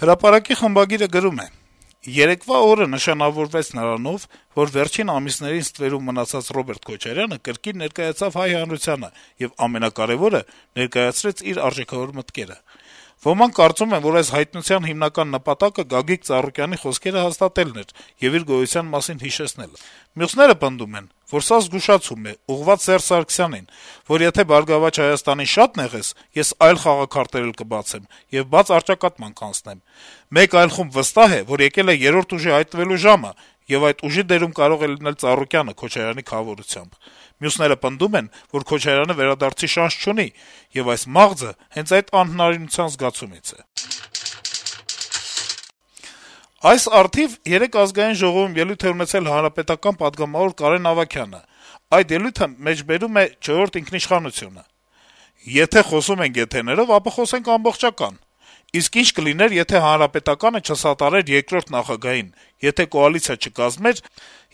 Հրապարակի խմբագիրը գրում է. - «Երեկվա օրը նշանավորվեց նրանով, որ վերջին ամիսներին ստվերում մնացած Ռոբերտ Քոչարյանը կրկին ներկայացավ Հայ հանրությանը եւ, ամենակարեւորը, ներկայացրեց իր արժեքավոր մտքերը: Ոմանք կարծում են, որ այս հայտնության հիմնական նպատակը Գագիկ Ծառուկյանի խոսքերը հաստատելն էր եւ իր գոյության մասին հիշեցնելը: Մյուսները պնդում են, որ սա զգուշացում է, ուղղված Սերժ Սարգսյանին, որ եթե «Բարգավաճ Հայաստանին» շատ նեղես, ես այլ խաղաքարտեր էլ կբացեմ եւ բաց առճակատման կանցնեմ: Մեկ այլ խումբ վստահ է, որ եկել է երրորդ ուժի հայտնվելու ժամը, եւ այդ ուժի դերում կարող է լինել Ծառուկյանը Քոչարյանի քավորությամբ: Մյուսները պնդում են, որ Քոչարյանը վերադարձի շանս չունի, եւ այս մաղձը հենց այդ անհնարինության զգացումից է»: Այս առթիվ երեկ Ազգային ժողովում ելույթ է ունեցել Հանրապետական պատգամավոր Կարեն Ավագյանը: Այդ ելույթը մեջբերում է «Չորրորդ ինքնիշխանություն»-ը. - «Եթե խոսում ենք եթերներով, ապա խոսենք ամբողջական: Իսկ ի՞նչ կլիներ, եթե Հանրապետականը չսատարեր երկրորդ նախագահին, եթե կոալիցիա չկազմեր,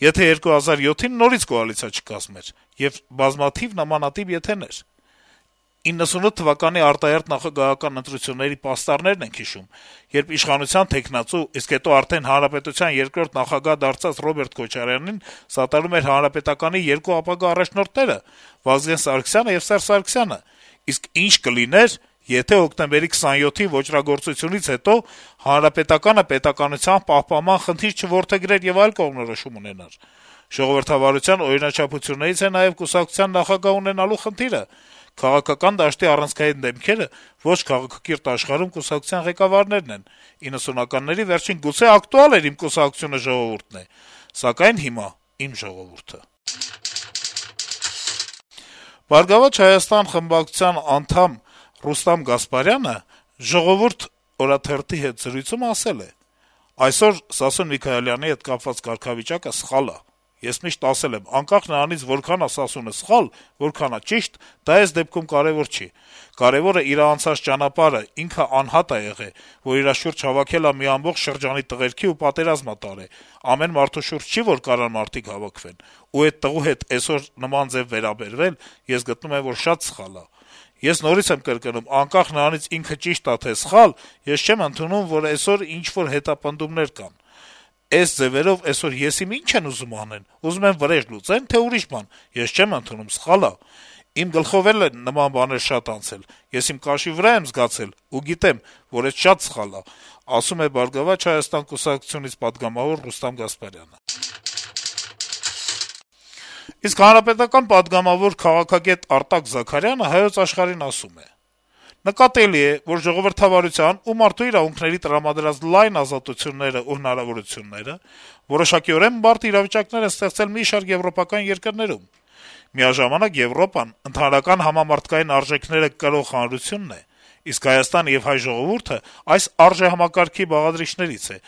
եթե 2007-ին նորից կոալիցիա չկազմեր: Եվ բազմաթիվ նմանատիպ եթեներ: 98 թվականի արտահերթ նախագահական ընտրությունների պաստառներն ենք հիշում, երբ իշխանության թեկնածու, իսկ հետո արդեն հանրապետության երկրորդ նախագահ դարձած Ռոբերտ Քոչարյանին սատարում էր Հանրապետականի երկու ապագա առաջնորդները` Վազգեն Սարգսյանը եւ Սերժ Սարգսյանը: Իսկ ի՞նչ կլիներ, եթե հոկտեմբերի 27-ի ոճրագործությունից հետո Հանրապետականը պետականության պահպանման խնդիր չորդեգրեր եւ այլ կողմնորոշում ունենար: Ժողովրդավարության օրինաչափություններից է նաեւ կուսակցության նախագահ ունենալու խնդիրը: Քաղաքական դաշտի առանցքային դեմքերը ոչ քաղաքակիրթ աշխարհում կուսակցության ղեկավարներն են: 90-ականների վերջին գուցե ակտուալ էր «Իմ կուսակցությունը ժողովուրդն է», սակայն հիմա «Իմ ժողովուրդը»: «Բարգավաճ Հայաստան» խմբակցության անդամ Ռուստամ Գասպարյանը «Ժողովուրդ» օրաթերթի հետ զրույցում ասել է. - «Այսօր Սասուն Միքայելյանի հետ կապված կարգավիճակը սխալ ա: Ես միշտ ասել եմ` անկախ նրանից որքան ա Սասունը սխալ, որքան ա ճիշտ, դա էս դեպքում կարեւոր չի: Կարեւորը իր անցած ճանապարհը, ինքը անհատ ա եղել, որ իր շուրջ հավաքել ա մի ամբողջ շրջանի տղերքի ու պատերազմ ա տարել: Ամեն մարդու շուրջ չի, որ կարան մարդիկ հավաքվեն: Ու էդ տղու հետ այսօր նման ձեւ վերաբերվել, ես գտնում եմ, որ շատ սխալ ա: Ես նորից եմ կրկնում, անկախ նրանից ինքը ճիշտ ա թե սխալ, ես չեմ ընդունում, որ այսօր ինչ-որ հետապնդումներ կան: Էս ձեւերով այսօր ես իմ ի՞նչ են ուզում անեն: Ուզում են վրեժ լուծե՞ն, թե ուրիշ բան: Ես չեմ ընդունում, սխալ ա: Իմ գլխով էլ են նման բաներ շատ անցել: Ես իմ կաշի վրա եմ զգացել ու գիտեմ, որ էս շատ սխալ ա», - ասում է «Բարգավաճ Հայաստան» կուսակցությունից պատգամավոր Ռուստամ Գասպարյանը: Իսկ հանրապետական պատգամավոր, քաղաքագետ Արտակ Զաքարյանը «Հայոց Աշխարհ»-ին ասում է. - «Նկատելի է, որ ժողովրդավարության ու մարդու իրավունքների տրամադրած լայն ազատություններն ու հնարավորությունները որոշակիորեն բարդ իրավիճակներ են ստեղծել մի շարք եվրոպական երկրներում: Միաժամանակ Եվրոպան ընդհանրական համամարտկային արժեքները կրող հանրությունն է, իսկ Հայաստանը եւ հայ ժողովուրդը այս արժեհամակարգի բաղադրիչներից է,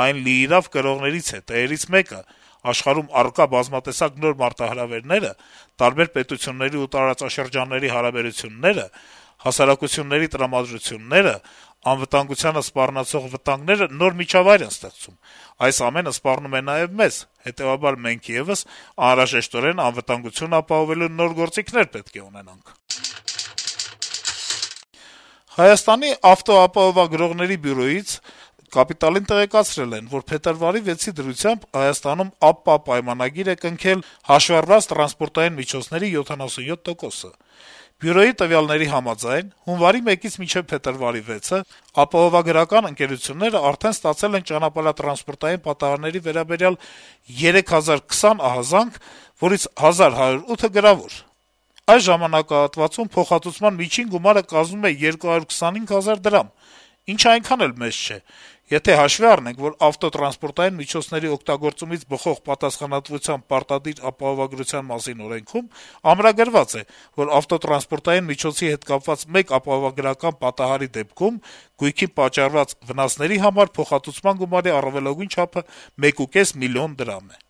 այն լիիրավ կրողներից է, տերերից մեկը: Աշխարհում առկա բազմատեսակ նոր մարտահրավերները, տարբեր պետությունների ու տարածաշրջանների հարաբերությունները, հասարակությունների տրամադրությունները, անվտանգությանը սպառնացող վտանգները նոր միջավայր են ստեղծում: Այս ամենը սպառնում է նաեւ մեզ, հետեւաբար մենք եւս անհրաժեշտորեն անվտանգություն ապահովելու նոր գործիքներ պետք է ունենանք»: Հայաստանի ավտոապահովագրողների բյուրոյից «Կապիտալ»-ին տեղեկացրել են, որ փետրվարի 6-ի դրությամբ Հայաստանում ԱՊՊԱ պայմանագիր է կնքել հաշվառված տրանսպորտային միջոցների 77%-ը: Բյուրոյի տվյալների համաձայն, հունվարի 1-ից մինչեւ փետրվարի 6-ը ապահովագրական ընկերությունները արդեն ստացել են ճանապարհատրանսպորտային պատահարների վերաբերյալ 3020 ահազանգ, որից 1108-ը գրավոր: Այս ժամանակահատվածում փոխհատուցման միջին գումարը կազմում է 225 հազար դրամ, ինչը այնքան էլ մեծ չէ: Եթե հաշվի առնենք, որ ավտոտրանսպորտային միջոցների օգտագործումից բխող պատասխանատվության պարտադիր ապահովագրության մասին օրենքում ամրագրված է, որ ավտոտրանսպորտային միջոցի հետ կապված մեկ ապահովագրական պատահարի դեպքում գույքին պատճառված վնասների համար փոխհատուցման գումարի առավելագույն չափը 1.5 միլիոն դրամ է: